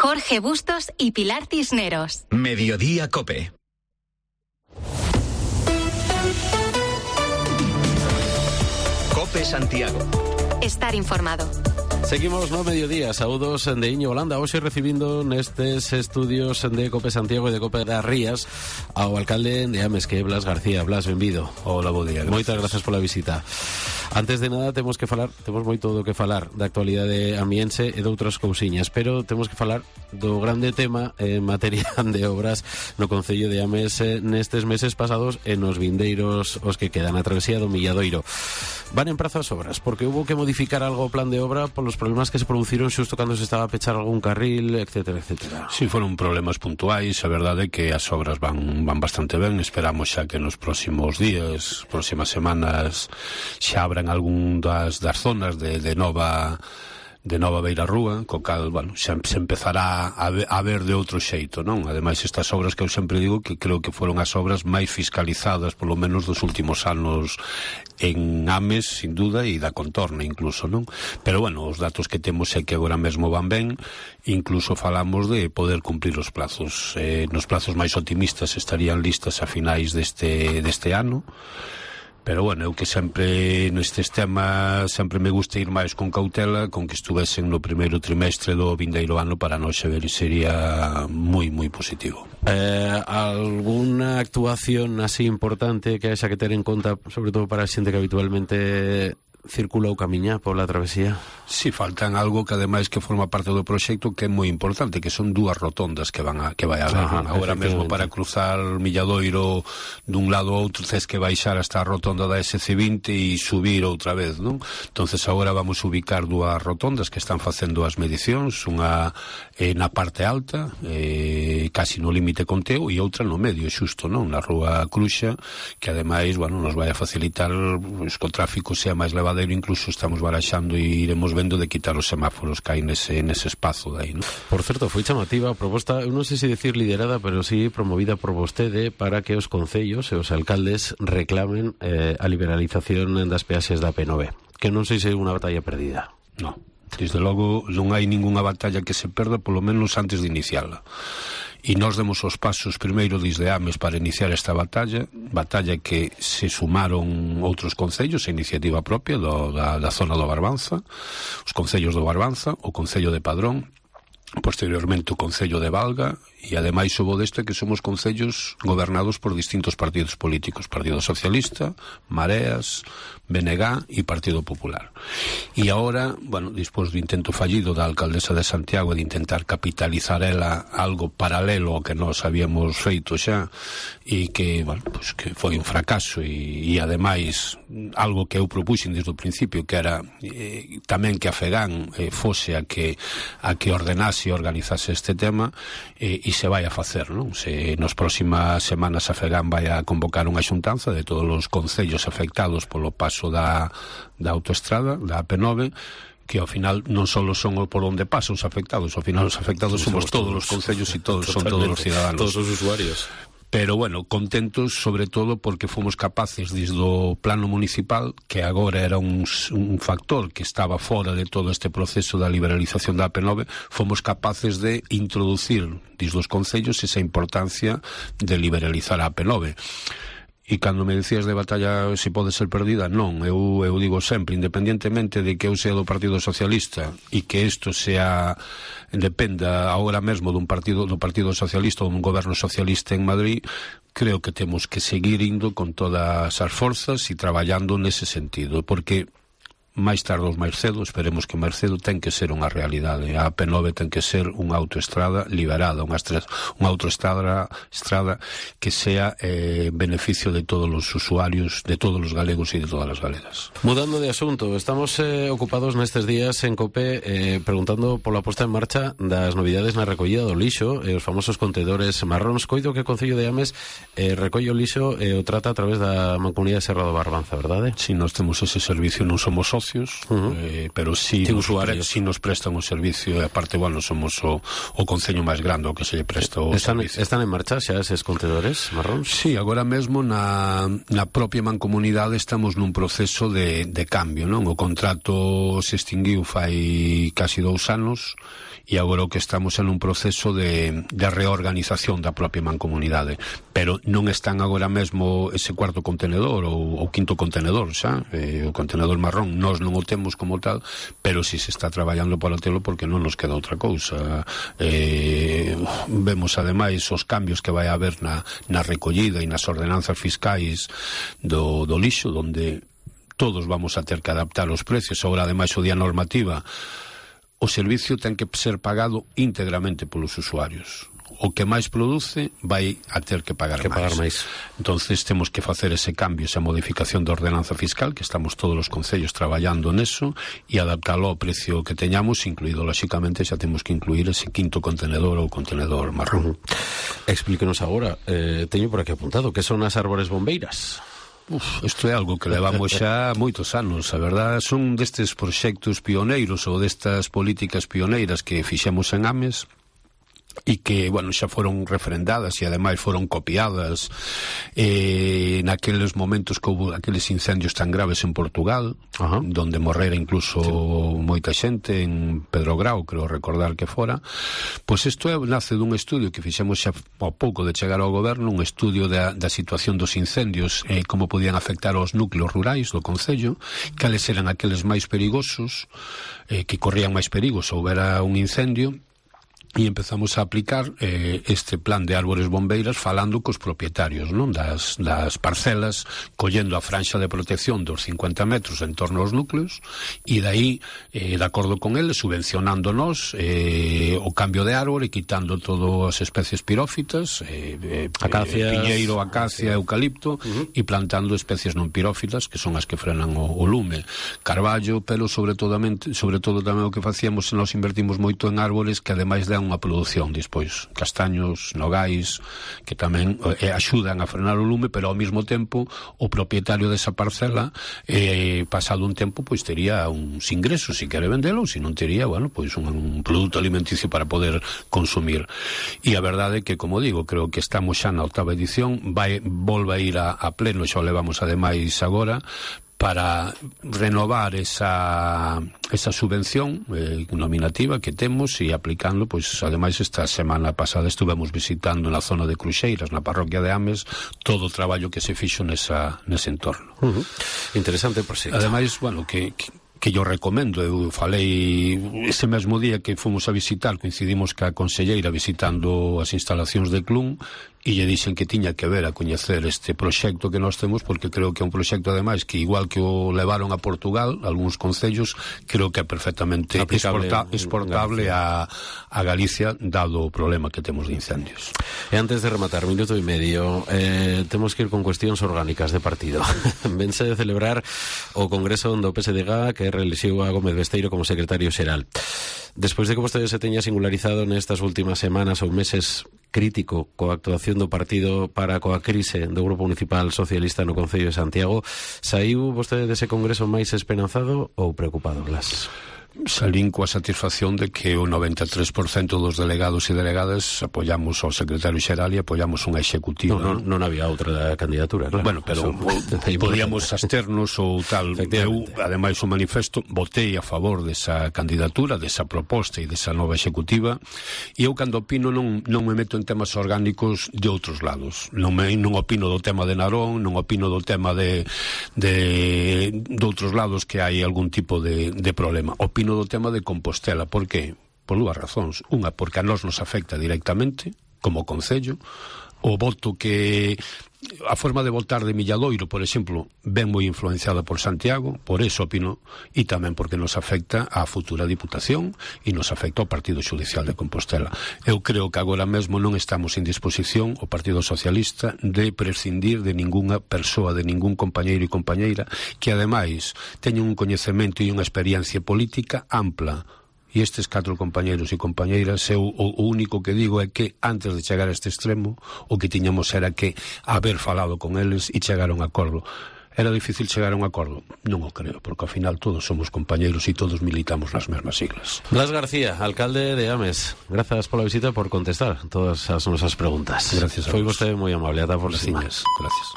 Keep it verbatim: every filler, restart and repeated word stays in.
Jorge Bustos y Pilar Cisneros. Mediodía Cope. Cope Santiago. Estar informado. Seguimos no mediodía, saúdos de Iño Holanda. Hoxe recibindo nestes estudios de Cope Santiago e de Cope das Rías ao alcalde de Ames, que é Blas García. Blas, benvido. Hola, bo día. Moitas gracias pola visita. Antes de nada temos que falar, temos moito do que falar da actualidade amiense e de outras cousiñas, pero temos que falar do grande tema en materia de obras no concello de Ames eh, nestes meses pasados e nos vindeiros os que quedan a travesía do Milladoiro. Van en prazo as obras, porque hubo que modificar algo o plan de obra polos problemas que se produciron xusto cando se estaba a pechar algún carril, etcétera, etcétera. Sí, foron problemas puntuais, a verdade é que as obras van, van bastante ben. Esperamos xa que nos próximos días, próximas semanas, xa abran algún das, das zonas de, de nova de nova Beira Rúa, co cal, bueno, xa se empezará a ver, a ver de outro xeito, non? Ademais, estas obras que eu sempre digo que creo que foron as obras máis fiscalizadas, polo menos dos últimos anos en Ames, sin duda, e da contorna incluso, non? Pero, bueno, os datos que temos é que agora mesmo van ben, incluso falamos de poder cumprir os plazos. Eh, nos plazos máis optimistas estarían listas a finais deste, deste ano. Pero, bueno, eu que sempre nestes temas sempre me gusta ir máis con cautela, con que estuvesen no primeiro trimestre do vindeiro ano para nós ver, sería moi, moi positivo. Eh, alguna actuación así importante que haxa que ter en conta, sobre todo para a xente que habitualmente circula ou camiña pola travesía? Si, sí, faltan algo que ademais que forma parte do proxecto que é moi importante, que son dúas rotondas que van a, que vai a haber. Ajá, agora mesmo para cruzar Milladoiro dun lado ao outro tes que baixar hasta a rotonda da ese ce vinte e subir outra vez, non? Entonces agora vamos a ubicar dúas rotondas que están facendo as medicións, unha eh, na parte alta, eh, casi no límite con Teo, e outra no medio, xusto, non? Na rúa Cruxa, que ademais, bueno, nos vai a facilitar pues, que o tráfico sea máis levado. Incluso estamos baraxando e iremos vendo de quitar os semáforos que hai nese, nese espazo de aí, ¿no? Por certo, foi chamativa a proposta, eu non sei se decir liderada, pero sí promovida por vostede para que os concellos e os alcaldes reclamen eh, a liberalización das peaxes da P nove, que non sei se é unha batalla perdida. No, desde logo non hai ningunha batalla que se perda, polo menos antes de iniciarla. E nós demos os pasos primeiro desde Ames para iniciar esta batalla, batalla que se sumaron outros concellos, a iniciativa propia do, da, da zona do Barbanza, os concellos do Barbanza, o concello de Padrón, posteriormente o concello de Valga, e ademais hubo deste que somos concellos gobernados por distintos partidos políticos, Partido Socialista, Mareas, B N G e Partido Popular. E agora, bueno, despois do intento fallido da alcaldesa de Santiago de intentar capitalizar ela algo paralelo ao que nós habíamos feito xa, e que, bueno, pues que foi un fracaso, e, e ademais algo que eu propuxen desde o principio, que era eh, tamén que a FEGAN eh, fose a que a que ordenase e organizase este tema, eh, e se vai a facer, non? Se nas próximas semanas a FEGAN vai a convocar unha xuntanza de todos os concellos afectados polo paso da, da autoestrada, da A P nove, que ao final non só son por onde pasan os afectados, ao final os afectados sí, somos, somos todos, todos os concellos e todos son todos os ciudadanos. Todos os usuarios. Pero, bueno, contentos sobre todo porque fomos capaces desde o plano municipal, que agora era un, un factor que estaba fora de todo este proceso da liberalización da A P nove, fomos capaces de introducir desde os concellos esa importancia de liberalizar a A P nove. E cando me decías de batalla se pode ser perdida, non, eu, eu digo sempre, independientemente de que eu sea do Partido Socialista e que isto sea dependa agora mesmo dun partido do Partido Socialista ou dun goberno socialista en Madrid, creo que temos que seguir indo con todas as forzas e traballando nese sentido, porque máis tarde ou máis cedo, esperemos que máis cedo ten que ser unha realidade. A A P nove ten que ser unha autoestrada liberada, unha, unha autoestrada estrada que sea eh, beneficio de todos os usuarios, de todos os galegos e de todas as galegas. Mudando de asunto, estamos eh, ocupados nestes días en COPE eh, preguntando pola posta en marcha das novidades na recollida do lixo e os famosos contedores marróns. Coido que o Concello de Ames eh, recolle o lixo e o trata a través da Mancomunidade de Serra do Barbanza, verdade? Si, nós temos ese servicio, non somos socios, socios, Uh-huh. eh, pero sí, Sí, nos pre, usuarios. sí nos prestan o servicio, e aparte, bueno, somos o, o concello máis grande o que se lle presta o Están, servicio. están en marcha xa eses contedores marróns? Sí, agora mesmo na, na propia mancomunidade estamos nun proceso de, de cambio, non? O contrato se extinguiu fai casi dous anos e agora o que estamos en un proceso de, de reorganización da propia mancomunidade, pero non están agora mesmo ese cuarto contenedor ou o quinto contenedor, xa? Eh, o contenedor marrón nós non o temos como tal, pero si se está traballando para telo porque non nos queda outra cousa. Eh, vemos ademais os cambios que vai haber na, na recollida e nas ordenanzas fiscais do, do lixo, donde todos vamos a ter que adaptar os precios. Agora, ademais, o día normativa, o servicio ten que ser pagado íntegramente polos usuarios. O que máis produce vai a ter que pagar que máis. pagar máis. Entonces temos que facer ese cambio, esa modificación da ordenanza fiscal, que estamos todos os concellos traballando neso, e adaptalo ao precio que teñamos, incluído, lóxicamente, xa temos que incluir ese quinto contenedor ou contenedor marrón. Uh-huh. Explíquenos agora, eh, teño por aquí apuntado, que son as árbores bombeiras? Uf, isto é algo que levamos xa moitos anos, a verdad, son destes proxectos pioneiros ou destas políticas pioneiras que fixemos en Ames e que, bueno, xa foron refrendadas e ademais foron copiadas eh, naqueles momentos que houve aqueles incendios tan graves en Portugal, Ajá. donde morrera incluso sí. moita xente en Pedro Grau, creo recordar que fora. Pois isto é, nace dun estudio que fixemos xa ao pouco de chegar ao goberno, un estudio da, da situación dos incendios, eh, como podían afectar aos núcleos rurais do concello, cales eran aqueles máis perigosos, eh, que corrían máis perigos se houbera un incendio. E empezamos a aplicar eh, este plan de árbores bombeiras falando cos propietarios, non, das, das parcelas, collendo a franxa de protección dos cincuenta metros en torno aos núcleos e dai, eh, de acordo con eles, subvencionándonos eh, o cambio de árbore, quitando todas as especies pirófitas, eh, eh, Acacias, piñeiro, acacia, eucalipto, uh-huh. e plantando especies non pirófitas, que son as que frenan o, o lume. Carballo, pero sobre todo, sobre todo tamén o que facíamos, nos invertimos moito en árbores que ademais dan unha produción despois, castaños, nogais, que tamén eh, axudan a frenar o lume, pero ao mesmo tempo o propietario desa parcela eh, pasado un tempo pois tería uns ingresos se quere vendelo, ou se non tería, bueno, pois un, un produto alimenticio para poder consumir. E a verdade é que, como digo, creo que estamos xa na octava edición, vai, volve a ir a, a pleno, xa o levamos ademais agora, para renovar esa, esa subvención eh, nominativa que temos e aplicando, pois, ademais, esta semana pasada estuvemos visitando na zona de Cruxeiras, na parroquia de Ames, todo o traballo que se fixo nesa, nese entorno. Uh-huh. Interesante proxecto. Ademais, bueno, que... que que yo recomendo, eu falei ese mesmo día que fomos a visitar, coincidimos ca conselleira visitando as instalacións de Clun e lle dixen que tiña que ver a coñecer este proxecto que nós temos, porque creo que é un proxecto ademais que igual que o levaron a Portugal, algúns concellos, creo que é perfectamente exporta, exportable a, a Galicia, dado o problema que temos de incendios. E antes de rematar, minuto e medio, eh, temos que ir con cuestións orgánicas de partido. Vense de celebrar o Congreso do P S D G que reelixiu a Gómez Besteiro como secretario xeral. Despois de que vostede se teña singularizado nestas últimas semanas ou meses crítico coa actuación do partido para coa crise do Grupo Municipal Socialista no Concello de Santiago, saiu vostede dese congreso máis esperanzado ou preocupado, Blas? Salín coa satisfacción de que o noventa e tres por cento dos delegados e delegadas apoyamos ao secretario xeral e apoyamos unha executiva. Non, non, non había outra candidatura, claro. Bueno, pero Eso, podíamos absternos ou tal. Eu, ademais, o manifesto, votei a favor desa candidatura, desa proposta e desa nova executiva, e eu, cando opino, non, non me meto en temas orgánicos de outros lados. Non, me, non opino do tema de Narón, non opino do tema de, de, de outros lados que hai algún tipo de, de problema. Opino do tema de Compostela. Por que? Por dúas razóns. Unha, porque a nós nos afecta directamente, como concello. O voto que... A forma de votar de Milladoiro, por exemplo, ben moi influenciada por Santiago, por eso opino, e tamén porque nos afecta á futura Diputación e nos afecta ao Partido Xudicial de Compostela. Eu creo que agora mesmo non estamos en disposición, o Partido Socialista, de prescindir de ningunha persoa, de ningún compañeiro e compañeira que, ademais, teñen un coñecemento e unha experiencia política ampla. E estes catro compañeros e compañeiras, eu o, o único que digo é que antes de chegar a este extremo o que tiñamos era que haber falado con eles e chegar a un acordo. Era difícil chegar a un acordo? Non o creo, porque ao final todos somos compañeiros e todos militamos nas mesmas siglas. Blas García, alcalde de Ames, grazas pola visita e por contestar todas as nosas preguntas. Gracias a Foi vos. vostede moi amable, ata por cima. Gracias.